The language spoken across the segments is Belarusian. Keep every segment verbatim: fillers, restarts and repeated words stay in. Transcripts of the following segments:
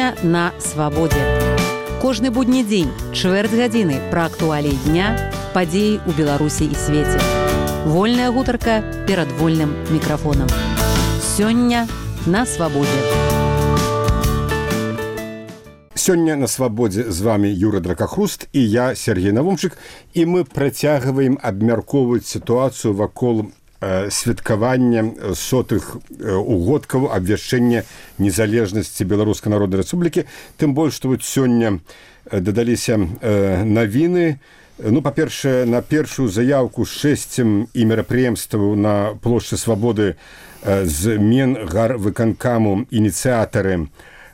Сёння на свабодзе. Кожны будні дзень, чвэрць гадзіны пра актуаліі дня, падзеі ў Беларусі і свеце. Вольная гутарка перад вольным мікрафонам. Сёння на свабодзе. Сёння на свабодзе з вами Юра Дракахруст і я, Сергей Навумчык, і мы працягваем абмяркоўваць сітуацыю вакол э, святкавання сотых э, угодкаў абвяшчэння незалежнасці Беларускай Народнай Рэспублікі. Тым больш, што вот сёння э, дадаліся э, навіны. Ну, па-першае, на першую заявку з шэсцем і мерапрыемстваў на плошчы Свабоды э, з Менгарвыканкаму ініцыятары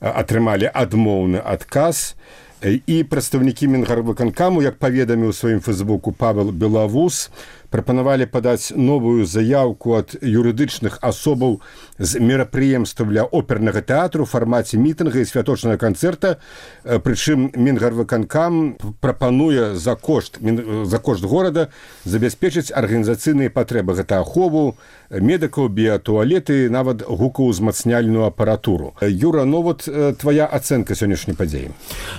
атрымалі адмоўны адказ, і прадстаўнікі Менгарвыканкаму, як паведаміў у сваім фэйсбуку Павел Белавус, прапанавалі падаць новую заявку ад юрыдычных асобаў з мерапрыемстваў для опернага тэатру ў фармаце мітынга і святочнага канцэрта. Прычым Менгарвыканкам прапануе за кошт, за кошт горада забяспечыць арганізацыйныя патрэбы. Гэта ахову медыкаў, біятуалеты, нават гукаўзмацняльную апаратуру. Юра, ну вот твоя ацэнка сённяшняй падзеі.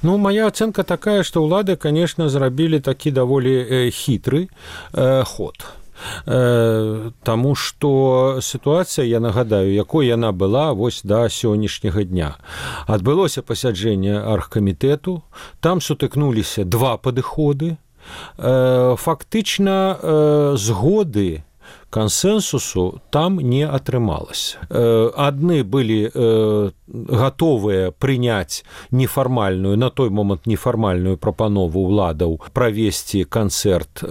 Ну, моя ацэнка такая, што ўлады, конечно, зрабілі такі даволі хітры ход. Таму што сітуацыя, я нагадаю, якой яна была вось да сённяшняга дня. Адбылося пасяджэнне аргкамітэту, там сутыкнуліся два падыходы. Фактычна згоды, кансэнсусу там не атрымалася. Адны былі гатовыя прыняць нефармальную, на той момант нефармальную прапанову ўладаў правесці канцэрт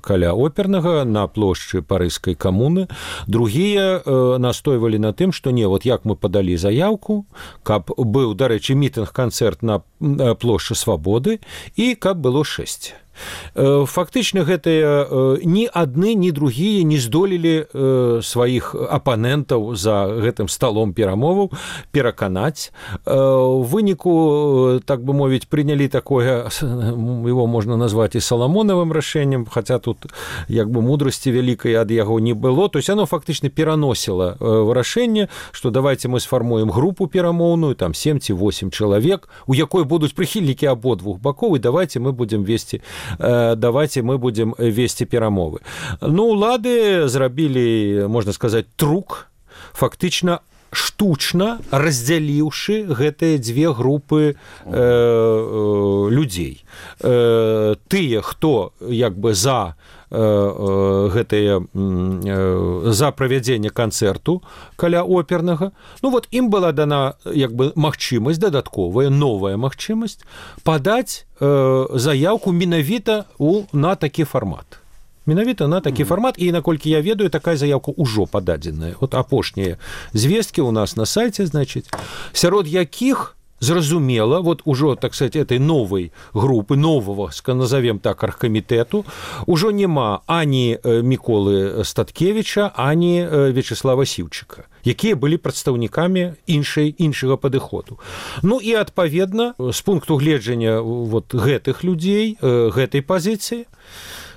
каля опернага на плошчы Парыжскай камуны. Другія настойвалі на тым, што не, вот як мы падалі заявку, каб быў, дарэчы, мітынг-канцэрт на плошчы Свабоды і каб было шэсць. Фактычна гэтыя ні адны, ні другія не здолелі сваіх апанентаў за гэтым сталом перамоваў пераканаць. У выніку, так бы мовіць, прынялі такое, его можна назваць і саламонавым рашэннем, хаця тут як бы мудрасці вялікай ад яго не было. То есть оно фактычна пераносіла рашэнне, што давайте мы сфармуем групу перамоўную, там сем ці восем чалавек, у якой будуць прыхільнікі абодвух бакоў, і давайте мы будзем весці давайте мы будем весці перамовы. Ну, улады зрабілі, можна сказаць, трук, фактычна штучна раздзяліўшы гэтыя дзве групы э, э, людзей. Э, тыя, хто як бы за гэтыя за правядзенне канцэрту каля опернага. Ну вот ім была дана як бы магчымасць, дадатковая, новая магчымасць падаць заявку менавіта у на такі фармат. Менавіта на такі фармат, і наколькі я ведаю, такая заявка ўжо пададзеная. Вот апошнія звесткі у нас на сайце, значыць, сярод якіх зразумела, вот ужо, так сказать, этой новой группы, нового, назовем так, аргкамітэту, ужо няма ані Міколы Статкевіча, ані Вячеслава Сіўчыка, якія былі прадстаўнікамі іншай, іншага падыходу. Ну і, адпаведна, з пункту гледжання вот гэтых людзей, гэтай пазіцыі,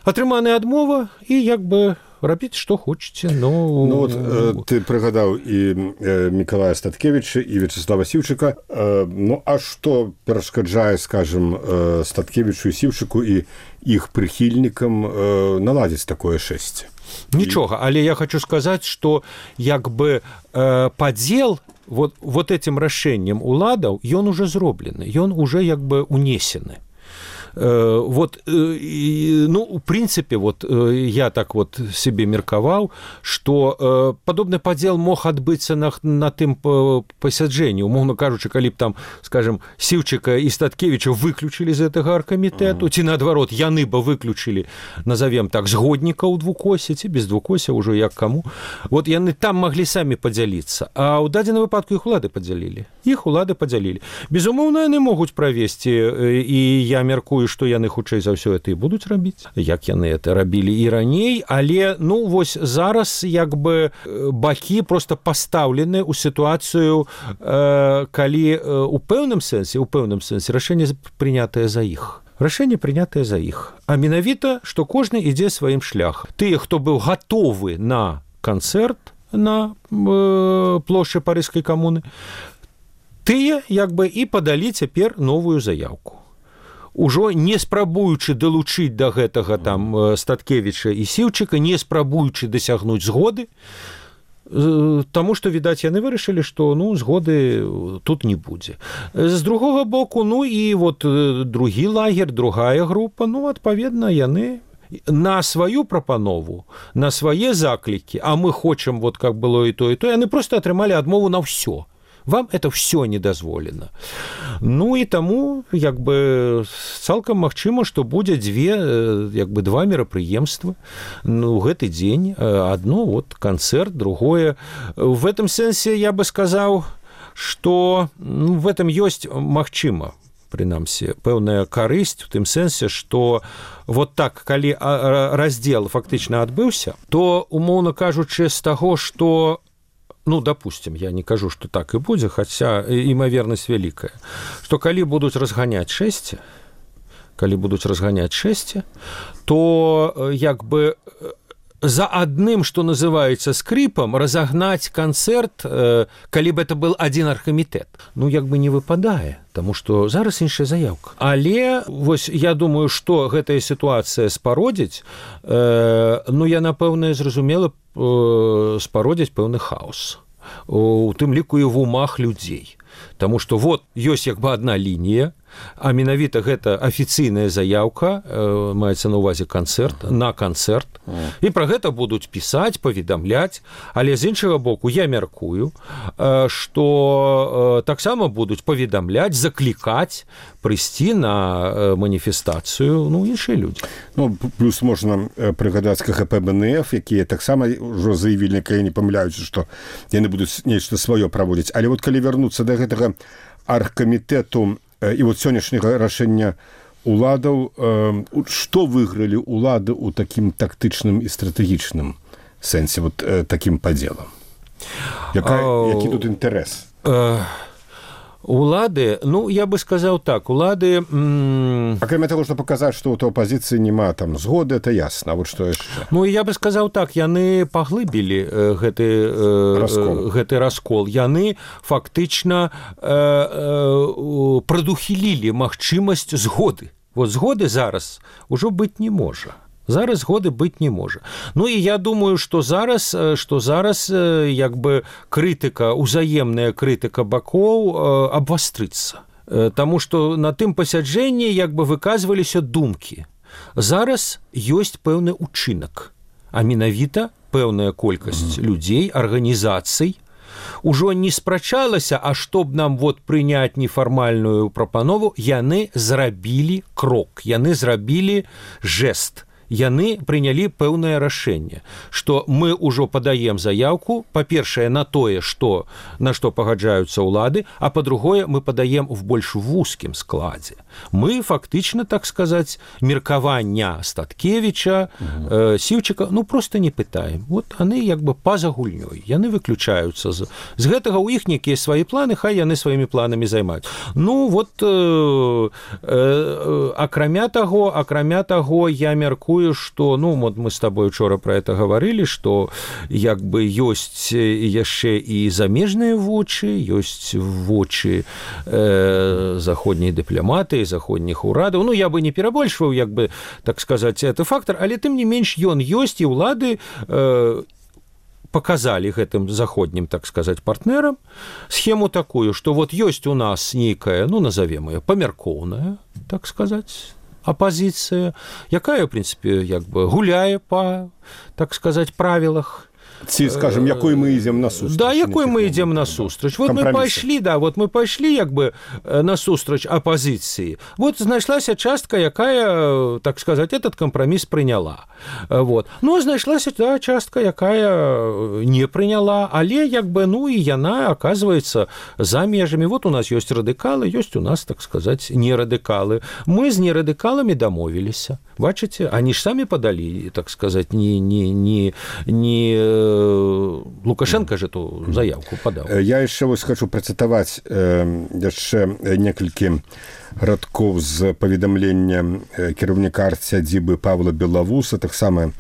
атрыманая адмова, і як бы рабіць, што хочаце. Но... Ну, вот, э, ты прыгадаў і э, Мікалая Статкевіча, і Вячеслава Сіўчыка. Э, ну, а што перашкаджае, скажем, э, Статкевічу і Сіўчыку і іх прыхільнікам э, наладзіць такое шэсце? Нічога, але я хочу сказаць, што як бы э, падзел вот, вот этим рашэннем уладаў, ён уже зроблены, ён уже як бы унесены. Вот, ну, в принципе, вот я так вот себе меркаваў, что падобны падзел мог адбыцца на, на тым пасяджэнні. Умоўна кажучы, калі б там, скажем, Сіўчыка і Статкевіча выключылі з гэтага аргкамітэту, ці наадварот, яны бы выключылі, назовем так, згоднікаў двукосе, ці без двукося, ўжо як каму. Вот яны там маглі самі падзяліцца, а ў дадзеным выпадку іх улады падзялілі. Іх улады падзялілі. Безумоўна, яны могуць правесці, і я меркую, што яны хутчэй за ўсё это і будуць рабіць, як яны это рабілі і раней, але, ну, вось зараз як бы бакі проста пастаўлены ў сітуацыю, э, калі у пэўным сэнсе, у пэўным сэнсе рашэнне прынятае за іх. Рашэнне прынятае за іх. А менавіта, што кожны ідзе сваім шляхам. Тыя, хто быў гатовы на канцэрт на э, плошчы Парыжскай камуны, тыя як бы і падалі цяпер новую заяўку. Ужо не спрабуючы далучыць да гэтага там Статкевіча і Сіўчыка, не спрабуючы дасягнуць згоды, таму што, відаць, яны вырашылі, што ну, згоды тут не будзе. З другога боку, ну і вот другі лагер, другая група, ну, адпаведна, яны на сваю прапанову, на свае заклікі, а мы хочам, вот как было і то, і то, яны просто атрымалі адмову на ўсё. Вам это все не дазволена. Ну і таму як бы цалкам магчыма, што будзе дзве як бы два мерапрыемствы ну, гэты дзень. Адно вот канцэрт, другое. В этом сэнсе я бы сказаў, што ну, в этом ёсць магчыма прынамсі пэўная карысць у тым сэнсе, што вот так калі раздзел фактычна адбыўся, то умоўна кажучы з таго, што ну, допустим, я не кажу, что так и будет, хотя имоверность великая, что коли будут разгонять шести, коли будут разгонять шести, то як бы за одним, что называется, скрипом разогнать концерт, коли бы это был один архкамітэт, ну, як бы не выпадае, потому что зараз іншая заявка. Але, вось, я думаю, что гэтая ситуация спародзіць, ну, я, напэўна, зразумела, спародзіць пэўны хаос. У тым ліку і в умах людзей. Таму што вот ёсць як бы адна лінія, а менавіта гэта афіцыйная заяўка, э, маецца на ўвазе канцэрт, на канцэрт, і пра гэта будуць пісаць, паведамляць, але з іншага боку я мяркую, э, што э, таксама будуць паведамляць, заклікаць прыйсці на э, маніфестацыю ну, іншыя людзі. Ну, плюс можна прыгадаць ка гэ пэ бэ эн эф, якія таксама ўжо заявілі, калі не памыляюцца, што яны будуць нешта сваё праводзіць. Але вот калі вярнуцца да гэтага аргкамітэту і вот сённяшняга рашэння уладаў, што выйгралі улады ў такім тактычным і стратэгічным сэнсе, вот такім падзелам? Які тут інтарэс? Улады, ну, я бы сказаў так, улады... М... Акрамя таго, што паказаць, што ў апазіцыі няма там згоды, это ясна, а вот што яшчэ? Ну, я бы сказаў так, яны паглыбілі э, гэты, э, раскол. гэты раскол. Яны фактычна э, э, прадухілілі магчымасць згоды. Вот згоды зараз ужо быць не можа. Зараз згоды быць не можа. Ну і я думаю, што зараз, што зараз як бы крытыка, узаемная крытыка бакоў абвастрыцца. Таму што на тым пасяджэнні як бы выказваліся думкі. Зараз ёсць пэўны ўчынак, а менавіта пэўная колькасць людзей, арганізацый, ужо не спрачалася, а што б нам вот прыняць нефармальную прапанову, яны зрабілі крок, яны зрабілі жэст. Яны прынялі пэўнае рашэнне, што мы ўжо падаем заяўку, па-першае, на тое, што, на што пагаджаюцца ўлады, а па-другое, мы падаем в больш вузкім складзе. Мы фактычна, так сказаць, меркавання Статкевіча, э, Сіўчыка, ну, проста не пытаем. Вот яны як бы па-за гульнёй, яны выключаюцца. З, з гэтага ў іх нейкія свае планы, хай яны сваімі планамі займаюць. Ну, вот, э, э, акрамя таго, акрамя таго, я мяркую, что, ну, вот мы с тобой учора про это говорили, что як бы ёсць яшчэ і замежныя вочы, ёсць вочы э, заходнія дыпламаты, заходніх урадаў. Ну, я бы не перабольшваў, як бы, так сказаць, это фактор, але тым не менш ён ёсць, і ўлады э, показали гэтым заходнім, так сказаць, партнерам схему такую, что вот ёсць у нас нейкая, ну, назовем ее, памяркоўная, так сказаць, апозіцыя, якая, в прынцыпе, як бы гуляе па, так сказаць, правілах. Ці, скажем, якой мы ідзем насустрач. Да, якой мы ідзем насустрач. Вот мы пайшлі, да, вот мы пайшлі, як бы, насустрач апозіцыі. Вот знайшлася частка, якая, так сказаць, этот кампраміс прыняла. Вот. Ну, знайшлася, да, частка, якая не прыняла, але, як бы, ну, і яна, оказывается, за межамі. Вот у нас ёсць радыкалы, ёсць у нас, так сказаць, нерадыкалы. Мы з нерадыкаламі дамовіліся. Бачыце? Они ж самі падалі, так сказаць, не, не, не, не Лукашенко же эту заявку подал. Я яшчэ вось хочу працытаваць э, яшчэ некалькі радкоў з паведамлення кіраўніка арт-сядзібы Павла Белавуса, таксама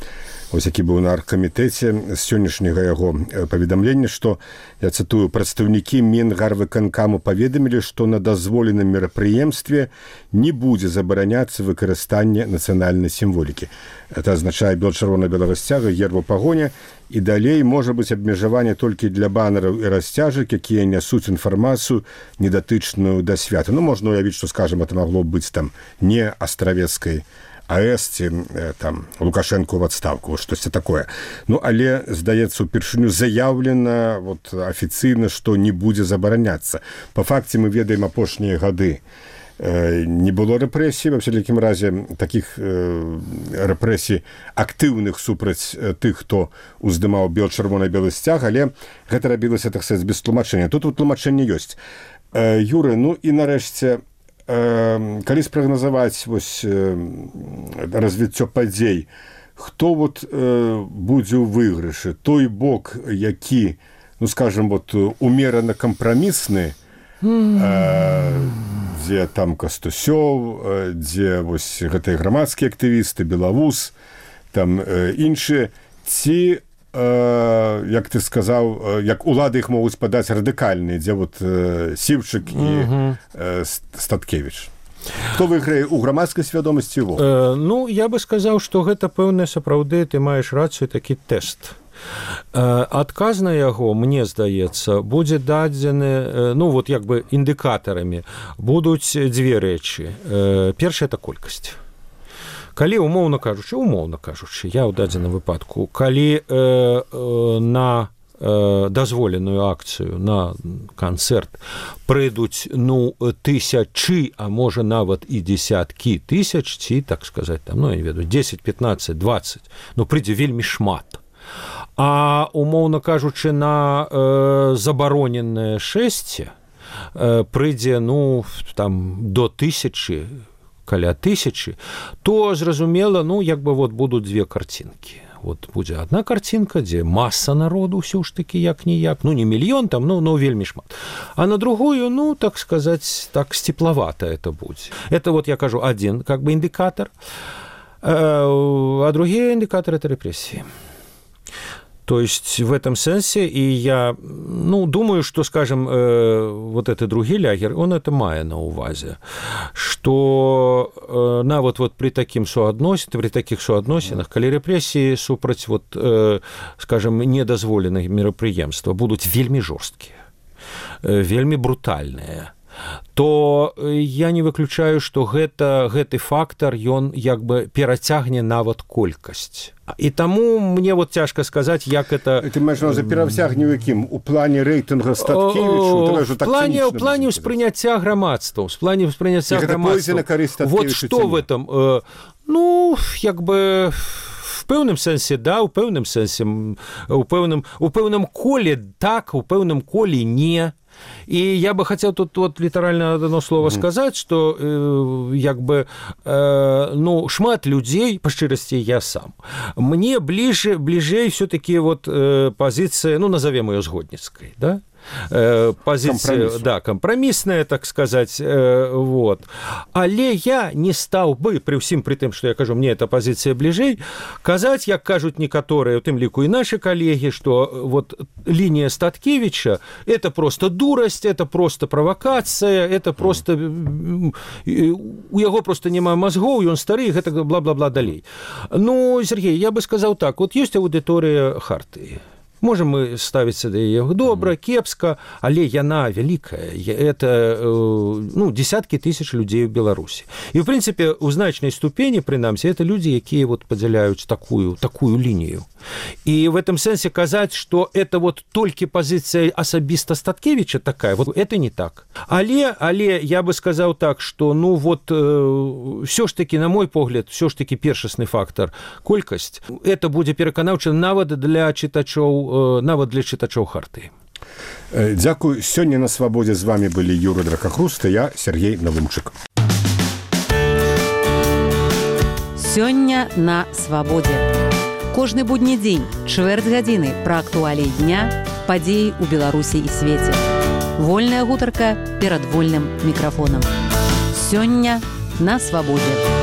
ось які быў на аргкамітэце, з сённяшняга яго паведамлення, што, я цытую, прадстаўнікі Мінгарвыканкаму паведамілі, што на дазволеным мерапрыемстве не будзе забараняцца выкарыстанне нацыянальнай сімволікі. Это азначае бел-чырвона-белага сцяга, гербу пагоня, і далей можа быць абмежаванне толькі для банераў і расцяжак, якія нясуць інфармацыю недатычную да свята. Ну, можна уявіць, што, скажем, это магло быць там не астравецкай АЭС ці там Лукашенко ў адстаўку, штосьці такое. Ну, але, здаецца, упершыню заяўлена вот, афіцыйна, што не будзе забараняцца. Па факце мы ведаем апошнія гады. Не было рэпрэсій, ва всякім разе такіх рэпрэсій актыўных супраць тых, хто уздымаў бел-чырвона-белы сцяг, але гэта рабілася, так сказаць, без тлумачэння. Тут тлумачэнне ёсць. Юры, ну і нарэшце, калі спрагназаваць вось развіццё падзей, хто вот будзе ў выйгрышы? Той бок, які, ну скажем, вот умерана кампрамісны, дзе там Кастусёў, дзе вось гэтыя грамадскія актывісты, Белавуз, там іншыя, ці як ты сказаў, як улады іх могуць падаць радыкальныя, дзе вот Сіўчык і Статкевіч. Хто выйграе ў грамадскай свядомасці его? Э, ну, я бы сказаў, што гэта пэўна сапраўды, ты маеш рацыю, такі тэст. Э, адказ на яго, мне здаецца, будзе дадзены, ну, вот як бы індыкатарамі, будуць дзве рэчы. Э, першая – это колькасць. Калі, умоўна кажучы, умоўна кажучы, я ў дадзеным выпадку, калі э, э, на э, дазволеную акцыю, на канцэрт прыйдуць, ну, тысячы, а можа нават і дзесяткі тысяч, ці, так сказаць, там, ну, я не ведаю, дзесяць, пятнаццаць, дваццаць, ну, прыйдзе вельмі шмат. А, умоўна кажучы, на э, забароненае шэсце э, прыйдзе, ну, там, до тысячы, каля тысячы, то, зразумела, ну, як бы вот будуць дзве карцінкі. Вот будзе адна карцінка, дзе маса народу ўсё ж такі як-ніяк, ну, не мільён там, ну, ну, вельмі шмат. А на другую, ну, так сказаць, так сціплавата это будзе. Это вот, я кажу, адзін, как бы, індыкатар, а другі індыкатар – это рэпрэсіі. То есть в этом сенсе, и я, ну, думаю, что, скажем, э, вот этот другі лягер, он это мае на увазе, что э, на вот, вот при таким суадносінах, при таких суадносінах, калі рэпрэсіі супраць, вот, э, скажем, недазволеных мерапрыемства будуць вельмі жорсткія, э, вельмі брутальныя, то я не выключаю, што гэта, гэты фактар, ён як бы перацягне нават колькасць. І таму мне вот цяжка сказаць, як это... Ты маеш на ўвазе перацягне ў якім? У плане рэйтынга Статкевічу? В плане, в плане ўспрыняцця грамадства, в плане ўспрыняцця грамадства. Вот што в этом? Ну, як бы... В пэўным сэнсе, да, у пэўным сэнсе, у пэўным, у пэўным коле так, у пэўным коле не. И я бы хотел тут вот литерально одно слово mm-hmm. сказать, что э, як бы, э, ну, шмат людей, по шчырасці я сам, мне ближе, ближей все-таки вот э, позиция, ну, назовем ее згодніцкай, да? Позиция, да, компромиссная, так сказать, вот. Але я не стал бы, при всем при том, что я кажу, мне эта позиция ближей, казать, як кажут некоторые, в тем лику и наши коллеги, что вот линия Статкевича – это просто дурость, это просто провокация, это просто… У яго просто няма мозгов, и он старый, это бла-бла-бла далей. Ну, Сергей, я бы сказал так, вот есть аудитория Хартии. Можем мы ставіцца да яе добра, кепска, але яна вялікая. Это, ну, десяткі тысяч людзей у Беларусі. І, в прынцыпе, у значнай ступені, прынамсі, это людзі, якія вот падзяляюць такую, такую лінію. И в этом сенсе казаць, что это вот толькі позиция асабіста Статкевича такая, вот это не так. Але, але я бы сказал так, что, ну, вот, э, все ж таки, на мой погляд, все ж таки першасны фактор колькасць, это будзе пераканаўча нават для чытачоў, э, нават для чытачоў Хартыі. Дзякуй. Сёння на свабодзе з вами былі Юра Дракахруст і я, Сергей Навумчык. Сёння на свабодзе. Кожны будні дзень, чвэрць гадзіны пра актуаліі дня, падзеі ў Беларусі і свеце. Вольная гутарка перад вольным мікрафонам. Сёння на свабодзе.